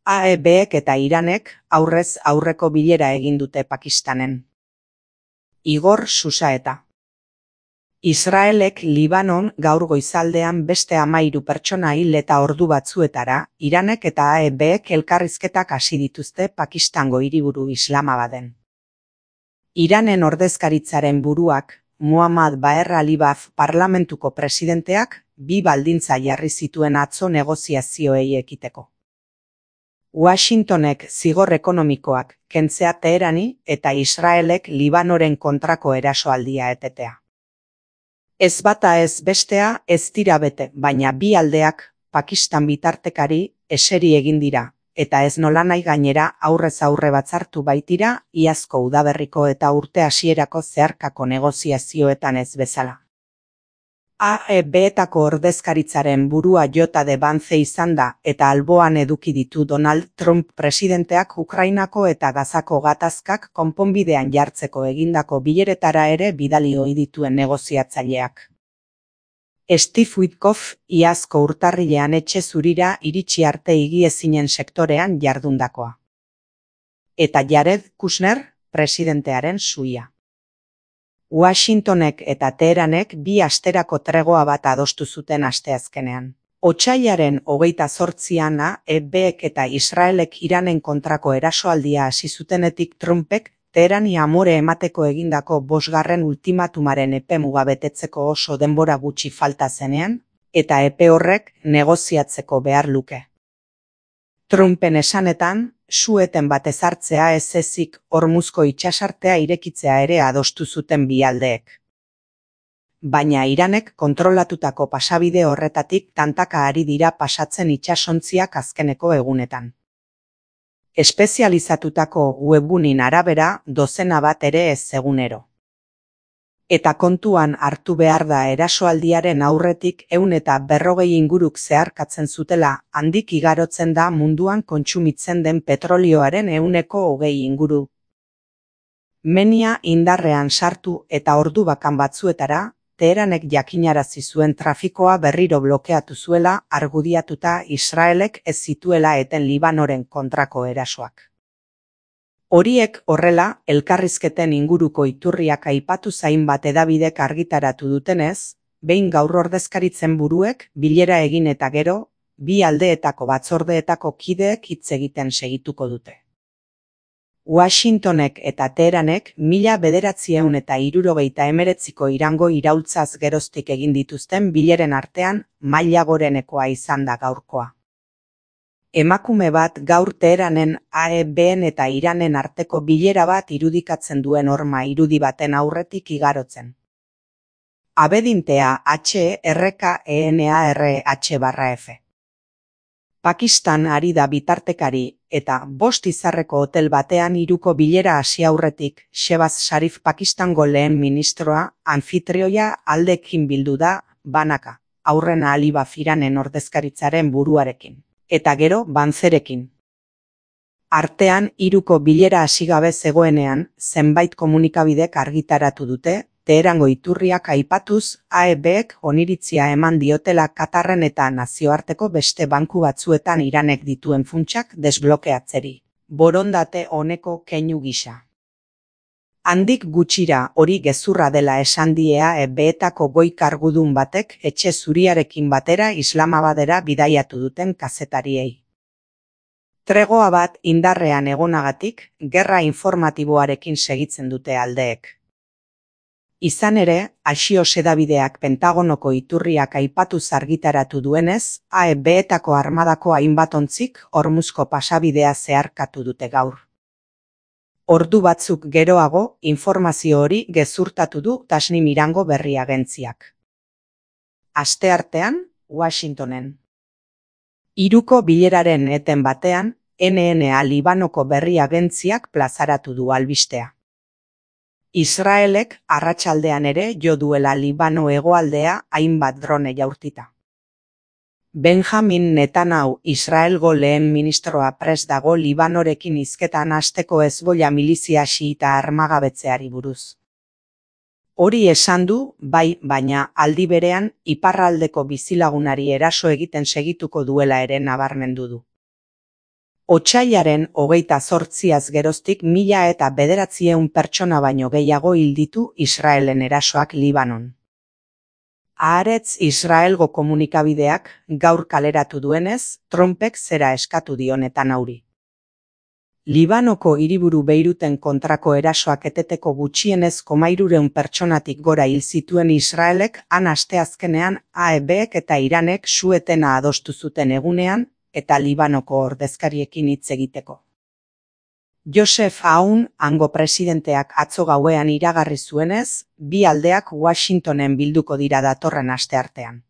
AEBek eta Iranek aurrez aurreko bilera egin dute Pakistanen. Igor Susaeta. Israelek Libanon gaur goizaldean beste 13 pertsona hil eta ordu batzuetara, Iranek eta AEBek elkarrizketak hasi dituzte Pakistango hiriburu Islamabaden. Iranen ordezkaritzaren buruak, Muhammad Baher Alibaf parlamentuko presidenteak, 2 baldintza jarri zituen atzo negoziazioei ekiteko. Washingtonek zigor ekonomikoak kentzea Teherani eta Israelek Libanoren kontrako erasoaldia etetea. Ez bata ez bestea ez dira bete, baina bi aldeak Pakistan bitartekari eseri egin dira, eta ez nolanahi gainera aurrez aurre batzartu baitira iazko udaberriko eta urte hasierako zeharkako negoziazioetan ez bezala. AEBetako ordezkaritzaren burua J. de Vance izan da eta alboan eduki ditu Donald Trump presidenteak Ukrainako eta Gazako gatazkak konponbidean jartzeko egindako bileretara ere bidali ohi dituen negoziatzaileak. Steve Witkoff iazko urtarrilean etxe zurira iritsi arte higiezinen sektorean jardundakoa. Eta Jared Kushner presidentearen suia. Washingtonek eta Teheranek 2 asterako tregoa bat adostu zuten asteazkenean. Otsailaren 28an AEBek eta Israelek Iranen kontrako erasoaldia hasi zutenetik Trumpek Teherani amore emateko egindako 5. ultimatumaren epemuga betetzeko oso denbora gutxi falta zenean, eta epe horrek negoziatzeko behar luke. Trumpen esanetan, su-eten bat ezartzea ez ezik Hormuzko itsasartea irekitzea ere adostu zuten bi aldeek. Baina Iranek kontrolatutako pasabide horretatik tantaka ari dira pasatzen itsasontziak azkeneko egunetan. Espezializatutako webgunin arabera dozena bat ere ez egunero. Eta kontuan hartu behar da erasoaldiaren aurretik 140 inguruk zeharkatzen zutela, handik igarotzen da munduan kontsumitzen den petrolioaren 20% inguru. Menia indarrean sartu eta ordu bakan batzuetara, Teheranek jakinarazi zuen trafikoa berriro blokeatu zuela argudiatuta Israelek ez zituela eten Libanoren kontrako erasoak. Horiek horrela, elkarrizketen inguruko iturriak aipatu hainbat hedabidek argitaratu dutenez, behin gaur ordezkaritzen buruek bilera egin eta gero, bi aldeetako batzordeetako kideek hitz egiten segituko dute. Washingtonek eta Teheranek 1979ko Irango iraultzaz geroztik egin dituzten bileren artean maila gorenekoa izan da gaurkoa. Emakume bat gaur Teheranen AEBen eta Iranen arteko bilera bat irudikatzen duen horma irudi baten aurretik igarotzen. Abedintea HRKENARH/F. Pakistan ari da bitartekari eta 5 izarreko hotel batean 3ko bilera hasi aurretik Shehbaz Sharif Pakistango lehen ministroa anfitrioia aldekin bildu da banaka, aurrena Alibaf Iranen ordezkaritzaren buruarekin. Eta gero Vancerekin. Artean 3ko bilera hasi gabe zegoenean, zenbait komunikabidek argitaratu dute, Teherango iturriak aipatuz, AEBek oniritzia eman diotela Katarren eta nazioarteko beste banku batzuetan Iranek dituen funtsak desblokeatzeri. Borondate honeko keinu gisa. Handik gutxira hori gezurra dela esan die AEBetako goi kargudun batek etxe zuriarekin batera Islamabadera bidaiatu duten kazetariei. Tregoa bat indarrean egonagatik, gerra informatiboarekin segitzen dute aldeek. Izan ere, Axios hedabideak Pentagonoko iturriak aipatuz argitaratu duenez, AEBetako armadako hainbat ontzik Hormuzko pasabidea zeharkatu dute gaur. Ordu batzuk geroago, informazio hori gezurtatu du Tasnim Irango berri agentziak. Asteartean, Washingtonen. 3ko bileraren eten batean, NNA Libanoko berri agentziak plazaratu du albistea. Israelek arratsaldean ere jo duela Libano hegoaldea hainbat drone jaurtita. Benjamin Netanyahu Israelgo lehen ministroa prest dago Libanorekin hizketan hasteko Hezbollah milizia xiita armagabetzeari buruz. Hori esan du, bai, baina aldi berean iparraldeko bizilagunari eraso egiten segituko duela ere nabarmendu du. Otsailaren 28az geroztik 1900 pertsona baino gehiago hil ditu Israelen erasoak Libanon. Haaretz Israelgo komunikabideak gaur kaleratu duenez, Trumpek zera eskatu dionetan auri. Libanoko hiriburu Beiruten kontrako erasoak eteteko gutxienez 300 pertsonatik gora hil zituen Israelek han asteazkenean AEBek eta Iranek su-etena adostu zuten egunean eta Libanoko ordezkariekin hitz egiteko. Joseph Aoun hango presidenteak atzo gauean iragarri zuenez, bi aldeak Washingtonen bilduko dira datorren asteartean.